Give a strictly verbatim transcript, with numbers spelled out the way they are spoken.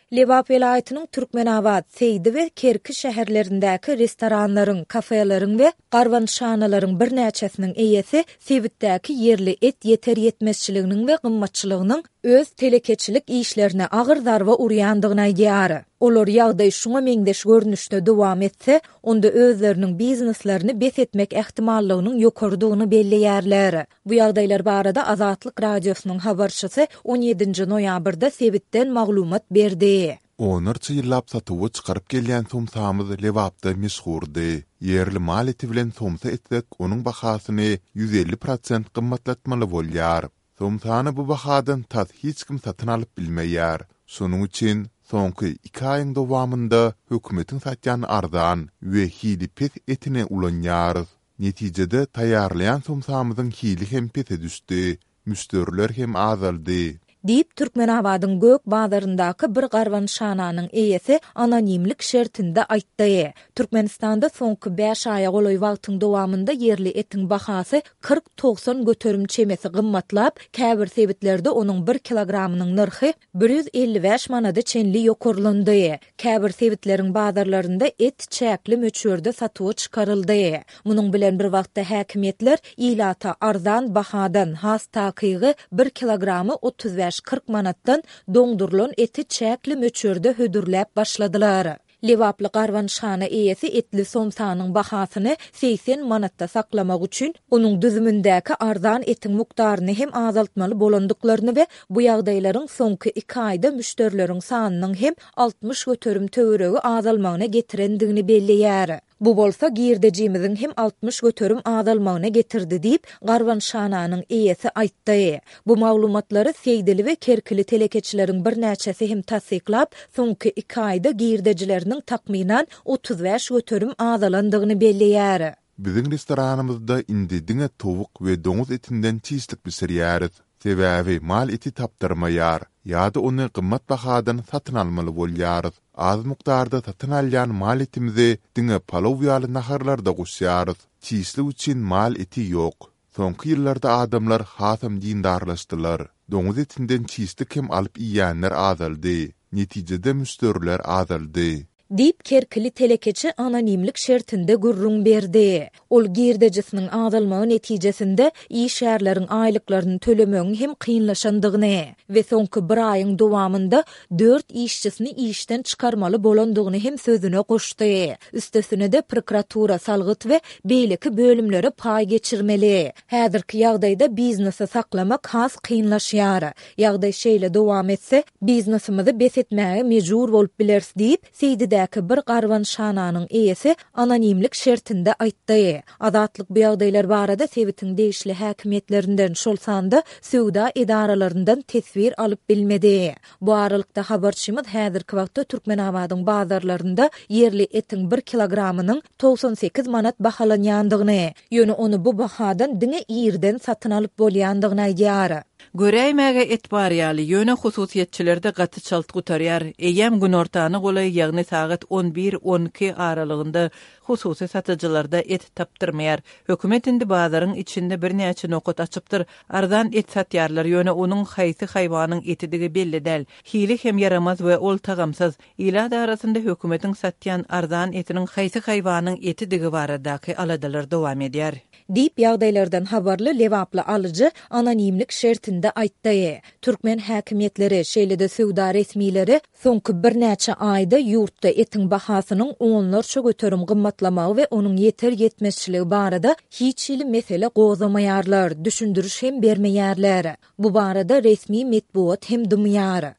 Lebap welaýatynyň Türkmenabat, Seýdi we Kerki şäherlerindäki restoranlaryň, kafeleriň we garbanyşhanalaryň birnäçesiniň eýesi sebitdäki ýerli et ýeter-ýetmezçiliginiň we gymmatçylygynyň öz telekeçilik işlerine agyr zarba urýandygyny aýdýar. Olar ýagdaý şuňa meňzeş görnüşde dowam etse, onda özleriniň bizneslerini bes etmek ähtimallygynyň ýokarydygyny belleýärler. Bu ýagdaýlar barada Azatlyk Radiosynyň habarçysy on ýedinji noýabrda sebitden maglumat berdi. Onlarça ýyllap satuwa çykaryp gelýän somsamyz Lebapda meşhurdy. Ýerli mal eti bilen somsa etsek, onuň bahasyny ýüz elli prosent gymmatlatmaly bolýar. Somsany bu bahadan tas hiç kim satyn alyp bilmeýär. Şonuň üçin soňky iki aýyň dowamynda hökümetiň satýan arzan we hili pes etini ulanýarys. Netijede taýýarlaýan somsamyzyň hili hem pese düşdi, müşderiler hem azaldy. Diýip, Türkmenabadyň Gök bazaryndaky bir garbanyşhananyň eýesi anonimlik şertinde aýtdy. Türkmenistanda soňky bäş aýa golaý wagtyň dowamynda ýerli etiň bahasy kyrk-togsan göterim çemesi gymmatlap, käbir sebitlerde onuň bir kilogramynyň nyrhy bir ýüz elli bäş manada çenli ýokarlandy. Käbir sebitleriň bazarlarynda et çäkli möçberde satuwa çykaryldy. Munuň bilen bir wagtda häkimiýetler ilata arzan bahadan, has takygy bir kilogramy otuz bäş-kyrk manatdan doňdurylan eti çäkli möçberde hödürläp başladylar. Lebaply garbanyşhana eýesi etli somsanyň bahasyny segsen manatda saklamak üçin onuň düzümindäki arzan etiň mukdaryny hem azaltmaly bolandyklaryny we bu ýagdaýlaryň soňky iki aýda müşderileriň sanynyň hem altmyş göterim töweregi azalmagyna getirendigini belleýär. Bu bolsa girdejimiziň hem altmyş göterim azalmagyna getirdi diýip, garbanyşhananyň eýesi aýtdy. Bu maglumatlary Seýdili we Kerkili telekeçileriň birnäçesi hem tassyklap, soňky iki aýda girdejileriniň takmynan otuz bäş göterim azalandygyny belleýär. Biziň restoranymyzda indi diňe towuk we doňuz etinden çişlik bişirýäris. Sebäbi mal eti tapdyrmaýar ýa-da ony gymmat bahadan satyn almaly bolýarys. Az mukdarda satyn alýan mal etimizi diňe palaw ýaly naharlarda goşýarys. Çişlik üçin mal eti ýok. Soňky ýyllarda adamlar hasam dindarlaşdylar. Doňuz etinden çişlik hem alyp iýýänler azaldy. Netijede müşderiler azaldy. Diýip, Kerkili telekeçi anonimlik şertinde gürrüň berdi. Ol girdejisiniň azalmagy netijesinde işgärleriň aýlyklaryny tölemegiň hem kynlaşandygyny we soňky bir aýyň dowamynda dört işçisini işden çykarmaly bolandygyny hem sözüne goşdy. Üstesine-de prokuratura, salgyt we beýleki bölümlere paý geçirmeli. Häzirki ýagdaýda biznesi saklamak has kynlaşýar. Ýagdaý şeýle dowam etse, biznesimizi bes etmäge mejbur bolup bileris diýip, Seýdidäki bir garbanyşhananyň eýesi anonimlik şertinde aýtdy. Azatlyk bu ýagdaýlar barada sebitiň degişli häkimiýetlerinden, şol sanda söwda edaralaryndan teswir alyp bilmedi. Bu aralykda habarçymyz häzirki wagtda Türkmenabadyň bazarlarynda ýerli etiň bir kilogramynyň togsan sekiz manat bahalanýandygyny, ýöne ony bu bahadan diňe irden satyn alyp bolýandygyny aýdýar. Göräýmäge et bar ýaly, ýöne hususyýetçilerde gaty çalt gutarýar. Eýýäm günortany golaý, ýagny sagat on bir on iki aralygynda hususy satyjylarda et tapdyrmaýar. Hökümet indi bazaryň içinde birnäçe nokat açypdyr. Arzan et satýarlar, ýöne onuň haýsy haýwanyň etidigi belli däl. Hili hem ýaramaz we ol tagamsyz. Ilat arasynda hökümetiň satýan arzan etiniň haýsy haýwanyň etidigi baradaky aladalar dowam edýär. Diýip, ýagdaýlardan habarly Lebaply alyjy anonimlik şertinde aýtdy. Türkmen häkimiýetleri, şeýle-de söwda resmileri soňky birnäçe aýda ýurtda etiň bahasynyň onlarça göterim gymmatlamagy we onuň ýeter-ýetmezçiligi barada hiç hili mesele gozgamaýarlar, düşündiriş hem bermeýärler. Bu barada resmi metbugat hem dymýar.